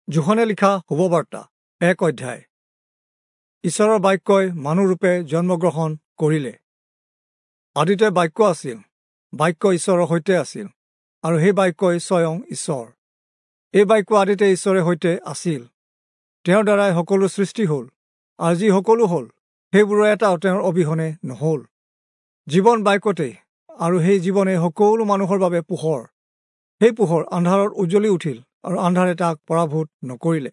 যোহনে লিখা শুভবাৰ্তা 1 অধ্যায়। ঈশ্বৰৰ বাক্যই মানুহৰূপে জন্মগ্ৰহণ কৰিলে। আদিতে বাক্য আছিল, বাক্য ঈশ্বৰৰ সৈতে আছিল, আৰু সেই বাক্যই স্বয়ং ঈশ্বৰ। এই বাক্য আদিতে ঈশ্বৰে সৈতে আছিল। তেওঁৰ দ্বাৰাই সকলো সৃষ্টি হ'ল, আৰু যি সকলো হ'ল সেইবোৰৰ এটাও তেওঁৰ অবিহনে নহ'ল। জীৱন বাক্যতেই, আৰু সেই জীৱনে সকলো মানুহৰ বাবে পোহৰ। সেই পোহৰ আন্ধাৰত উজ্জ্বলি উঠিল, আৰু আন্ধাৰে তাক পৰাভূত নকৰিলে।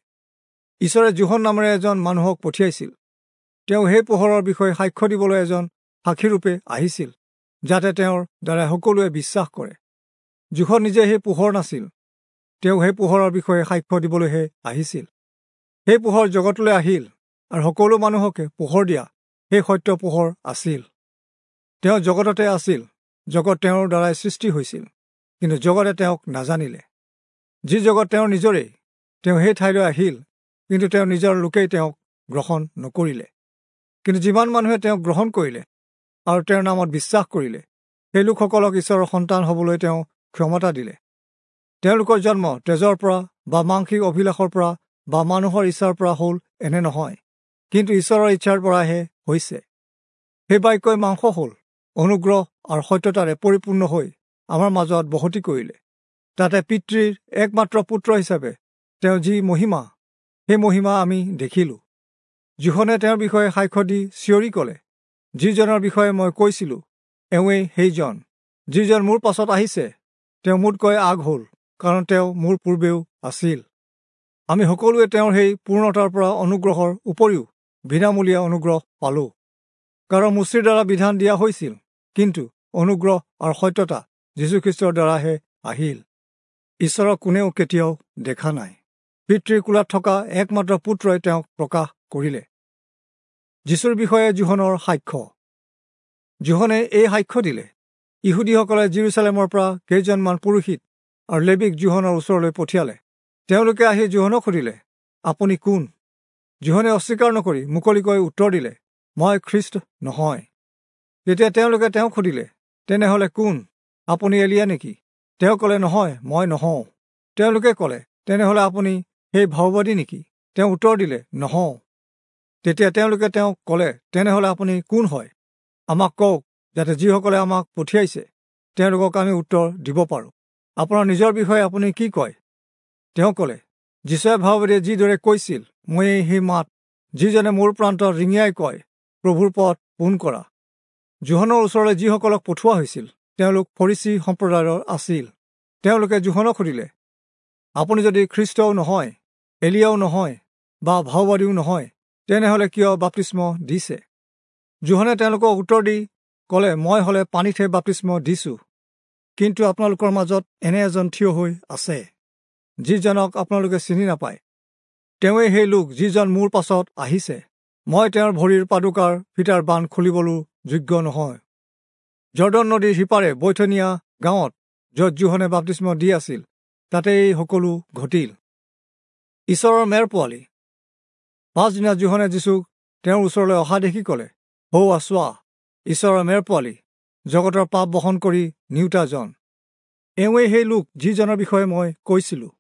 ঈশ্বৰে যোহন নামেৰে এজন মানুহক পঠিয়াইছিল। তেওঁ সেই পোহৰৰ বিষয়ে সাক্ষ্য দিবলৈ এজন সাক্ষীৰূপে আহিছিল, যাতে তেওঁৰ দ্বাৰা সকলোৱে বিশ্বাস কৰে। যোহন নিজে সেই পোহৰ নাছিল, তেওঁ সেই পোহৰৰ বিষয়ে সাক্ষ্য দিবলৈহে আহিছিল। সেই পোহৰ জগতলৈ আহিল, আৰু সকলো মানুহকে পোহৰ দিয়া সেই সত্য পোহৰ আছিল। তেওঁ জগততে আছিল, জগত তেওঁৰ দ্বাৰাই সৃষ্টি হৈছিল, কিন্তু জগতে তেওঁক নাজানিলে। যি জগত তেওঁৰ নিজৰেই, তেওঁ সেই ঠাইলৈ আহিল, কিন্তু তেওঁ নিজৰ লোকেই তেওঁক গ্ৰহণ নকৰিলে। কিন্তু যিমান মানুহে তেওঁক গ্ৰহণ কৰিলে আৰু তেওঁৰ নামত বিশ্বাস কৰিলে, সেই লোকসকলক ঈশ্বৰৰ সন্তান হ'বলৈ তেওঁ ক্ষমতা দিলে। তেওঁলোকৰ জন্ম তেজৰ পৰা বা মাংসিক অভিলাষৰ পৰা বা মানুহৰ ইচ্ছাৰ পৰা হ'ল এনে নহয়, কিন্তু ঈশ্বৰৰ ইচ্ছাৰ পৰাহে হৈছে। সেই বাক্যই মাংস হ'ল, অনুগ্ৰহ আৰু সত্যতাৰে পৰিপূৰ্ণ হৈ আমাৰ মাজত বসতি কৰিলে। তাতে পিতৃৰ একমাত্ৰ পুত্ৰ হিচাপে তেওঁ যি মহিমা, সেই মহিমা আমি দেখিলোঁ। যোহনে তেওঁৰ বিষয়ে সাক্ষ্য দি চিঞৰি ক'লে, যিজনৰ বিষয়ে মই কৈছিলোঁ এওঁৱেই সেইজন। যিজন মোৰ পাছত আহিছে তেওঁ মোতকৈ আগ হ'ল, কাৰণ তেওঁ মোৰ পূৰ্বেও আছিল। আমি সকলোৱে তেওঁৰ সেই পূৰ্ণতাৰ পৰা অনুগ্ৰহৰ উপৰিও বিনামূলীয়া অনুগ্ৰহ পালোঁ। কাৰণ মোচিৰ দ্বাৰা বিধান দিয়া হৈছিল, কিন্তু অনুগ্ৰহ আৰু সত্যতা যীশুখ্ৰীষ্টৰ দ্বাৰাহে আহিল। ঈশ্বৰক কোনেও কেতিয়াও দেখা নাই। পিতৃৰ কোলাত থকা একমাত্ৰ পুত্ৰই তেওঁক প্ৰকাশ কৰিলে। যীশুৰ বিষয়ে যোহনৰ সাক্ষ্য। যোহনে এই সাক্ষ্য দিলে, ইহুদীসকলে যিৰূচালেমৰ পৰা কেইজনমান পুৰোহিত আৰু লেবীক যোহনৰ ওচৰলৈ পঠিয়ালে। তেওঁলোকে আহি যোহনক সুধিলে, আপুনি কোন? যোহনে অস্বীকাৰ নকৰি মুকলিকৈ উত্তৰ দিলে, মই খ্ৰীষ্ট নহয়। তেতিয়া তেওঁলোকে তেওঁক সুধিলে, তেনেহ'লে কোন? আপুনি এলিয়া নেকি? তেওঁ ক'লে, নহয়, মই নহওঁ। তেওঁলোকে ক'লে, তেনেহ'লে আপুনি সেই ভাওবাদী নেকি? তেওঁ উত্তৰ দিলে, নহওঁ। তেতিয়া তেওঁলোকে তেওঁক ক'লে, তেনেহ'লে আপুনি কোন হয়? আমাক কওক, যাতে যিসকলে আমাক পঠিয়াইছে তেওঁলোকক আমি উত্তৰ দিব পাৰোঁ। আপোনাৰ নিজৰ বিষয়ে আপুনি কি কয়? তেওঁ ক'লে, যিচয়া ভাওবাদীয়ে যিদৰে কৈছিল, ময়েই সেই মাত, যিজনে মোৰ প্ৰান্তত ৰিঙিয়াই কয়, প্ৰভুৰ পথ পোন কৰা। যোহনৰ ওচৰলৈ যিসকলক পঠোৱা হৈছিল তেওঁলোক ফৰীচী সম্প্ৰদায়ৰ আছিল। তেওঁলোকে যোহনক সুধিলে, আপুনি যদি খ্ৰীষ্টও নহয়, এলিয়াও নহয় বা ভাওবাদীও নহয়, তেনেহ'লে কিয় বাপ্তিস্ম দিছে? যোহনে তেওঁলোকক উত্তৰ দি ক'লে, মই হ'লে পানীতহে বাপ্তিস্ম দিছোঁ, কিন্তু আপোনালোকৰ মাজত এনে এজন থিয় হৈ আছে, যিজনক আপোনালোকে চিনি নাপায়। তেওঁৱেই সেই লোক যিজন মোৰ পাছত আহিছে। মই তেওঁৰ ভৰিৰ পাদুকাৰ ফিটাৰ বান্ধ খুলিবলৈও যোগ্য নহয়। জৰ্দন নদীৰ সিপাৰে বৈথনিয়া গাঁৱত, য'ত যোহনে বাপ্তিস্ম দি আছিল, তাতে এই সকলো ঘটিল। ঈশ্বৰৰ মেৰ পোৱালি। পাছদিনা যোহনে যীশুক তেওঁৰ ওচৰলৈ অহা দেখি ক'লে, সৌৱা চোৱা, ঈশ্বৰৰ মেৰ পোৱালি, জগতৰ পাপ বহন কৰি নিওতাজন। এওঁৱেই সেই লোক যিজনৰ বিষয়ে মই কৈছিলোঁ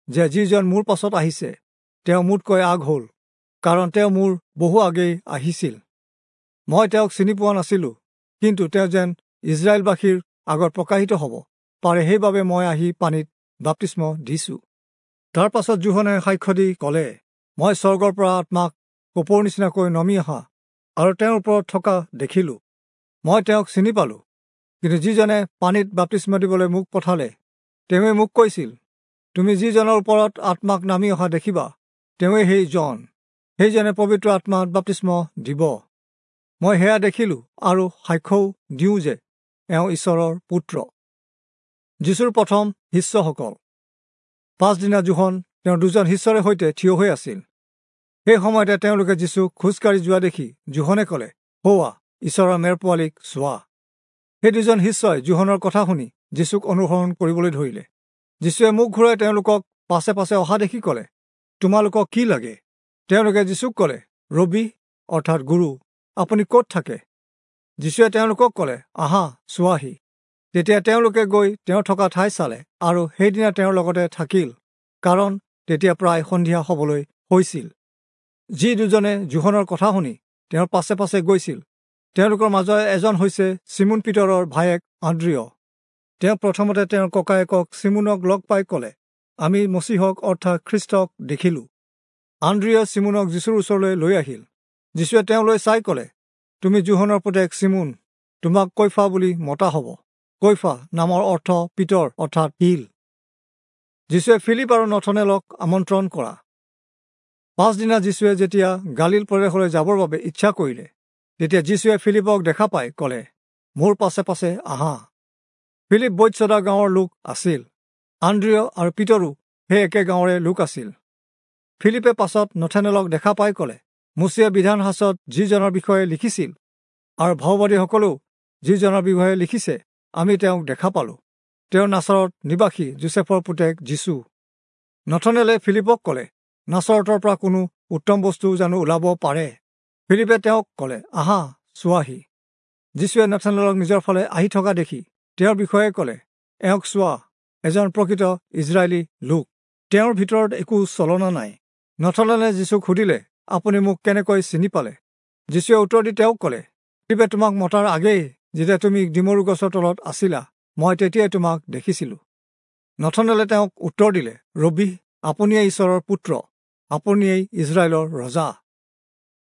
যে যিজন মোৰ পাছত আহিছে তেওঁ মোতকৈ আগ হ'ল, কাৰণ তেওঁ মোৰ বহু আগেই আহিছিল। মই তেওঁক চিনি পোৱা নাছিলোঁ, কিন্তু তেওঁ যেন ইজৰাইলবাসীৰ আগত প্ৰকাশিত হ'ব পাৰে, সেইবাবে মই আহি পানীত বাপ্তিস্ম দিছোঁ। তাৰ পাছত যোহনে সাক্ষ্য দি ক'লে, মই স্বৰ্গৰ পৰা আত্মাক কপৌৰ নিচিনাকৈ নমি অহা আৰু তেওঁৰ ওপৰত থকা দেখিলোঁ। মই তেওঁক চিনি পালোঁ, কিন্তু যিজনে পানীত বাপ্তিস্ম দিবলৈ মোক পঠালে তেওঁৱে মোক কৈছিল, তুমি যিজনৰ ওপৰত আত্মাক নামি অহা দেখিবা তেওঁৱেই সেইজন, সেইজনে পবিত্ৰ আত্মাত বাপ্তিস্ম দিব। মই সেয়া দেখিলোঁ আৰু সাক্ষ্যও দিওঁ যে এওঁ ঈশ্বৰৰ পুত্ৰ। যীশুৰ প্ৰথম শিষ্যসকল। পাছদিনা যোহন তেওঁৰ দুজন শিষ্যৰে সৈতে থিয় হৈ আছিল। সেই সময়তে তেওঁলোকে যীশুক খোজকাঢ়ি যোৱা দেখি যোহনে ক'লে, সৌৱা, ঈশ্বৰৰ মেৰ পোৱালিক চোৱা। সেই দুজন শিষ্যই যোহনৰ কথা শুনি যীশুক অনুসৰণ কৰিবলৈ ধৰিলে। যীশুৱে মুখ ঘূৰাই তেওঁলোকক পাছে পাছে অহা দেখি ক'লে, তোমালোকক কি লাগে? তেওঁলোকে যীশুক ক'লে, ৰবি অৰ্থাৎ গুৰু, আপুনি ক'ত থাকে? যীশুৱে তেওঁলোকক ক'লে, আহা চোৱাহি। তেতিয়া তেওঁলোকে গৈ তেওঁ থকা ঠাই চালে আৰু সেইদিনা তেওঁৰ লগতে থাকিল, কাৰণ তেতিয়া প্ৰায় সন্ধিয়া হ'বলৈ হৈছিল। যি দুজনে যোহনৰ কথা শুনি তেওঁৰ পাছে পাছে গৈছিল, তেওঁলোকৰ মাজৰ এজন হৈছে চিমোন পিতৰৰ ভায়েক আন্দ্ৰিয়। তেওঁ প্ৰথমতে তেওঁৰ ককায়েকক চিমোনক লগ পাই ক'লে, আমি মচীহক অৰ্থাৎ খ্ৰীষ্টক দেখিলোঁ। আন্দ্ৰিয় চিমোনক যীশুৰ ওচৰলৈ লৈ আহিল। যীশুৱে তেওঁলৈ চাই ক'লে, তুমি যোহনৰ পুতেক চিমোন, তোমাক কৈফা বুলি মতা হ'ব। কৈফা নামৰ অৰ্থ পিতৰ অৰ্থাৎ শিল। যীশুৱে ফিলিপ আৰু নথনেলক আমন্ত্ৰণ কৰা। পাছদিনা যীশুৱে যেতিয়া গালিল প্ৰদেশলৈ যাবৰ বাবে ইচ্ছা কৰিলে, তেতিয়া যীশুৱে ফিলিপক দেখা পাই ক'লে, মোৰ পাছে পাছে আহা। ফিলিপ বৈৎসদা গাঁৱৰ লোক আছিল। আন্দ্ৰিয় আৰু পিতৰো সেই একে গাঁৱৰে লোক আছিল। ফিলিপে পাছত নথনেলক দেখা পাই ক'লে, মোচিয়ে বিধান শাস্ত্ৰত যিজনৰ বিষয়ে লিখিছিল আৰু ভাওবাদীসকলেও যিজনৰ বিষয়ে লিখিছে, আমি তেওঁক দেখা পালোঁ। তেওঁ নাচৰত নিবাসী যোচেফৰ পুতেক যীশু। নথনেলে ফিলিপক ক'লে, নাচৰতৰ পৰা কোনো উত্তম বস্তু জানো ওলাব পাৰে? ফিলিপে তেওঁক ক'লে, আহা চোৱাহি। যীশুৱে নথনেলক নিজৰ ফালে আহি থকা দেখি তেওঁৰ বিষয়ে ক'লে, এওঁক চোৱা, এজন প্ৰকৃত ইজৰাইলী লোক, তেওঁৰ ভিতৰত একো চলনা নাই। নথনেলে যীশুক সুধিলে, আপুনি মোক কেনেকৈ চিনি পালে? যীশুৱে উত্তৰ দি তেওঁক ক'লে, ফিলিপে তোমাক মতাৰ আগেয়ে যেতিয়া তুমি ডিমৰু গছৰ তলত আছিলা, মই তেতিয়াই তোমাক দেখিছিলোঁ। নথনেলে তেওঁক উত্তৰ দিলে, ৰবি, আপুনিয়েই ঈশ্বৰৰ পুত্ৰ, আপুনিয়েই ইজৰাইলৰ ৰজা।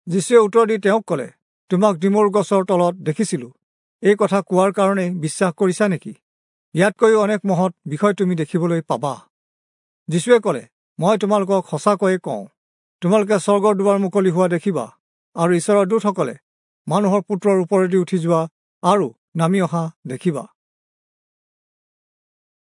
যীশুৱে উত্তৰ দি তেওঁক ক'লে, তোমাক ডিমৰু গছৰ তলত দেখিছিলোঁ, এই কথা কোৱাৰ কাৰণেই বিশ্বাস কৰিছা নেকি? ইয়াতকৈও অনেক মহৎ বিষয় তুমি দেখিবলৈ পাবা। যীশুৱে ক'লে, মই তোমালোকক সঁচাকৈয়ে কওঁ, তোমালোকে স্বৰ্গৰ দুৱাৰ মুকলি হোৱা দেখিবা আৰু ঈশ্বৰৰ দূতসকলে মানুহৰ পুত্ৰৰ ওপৰেদি উঠি যোৱা আৰু নামি অহা দেখিবা।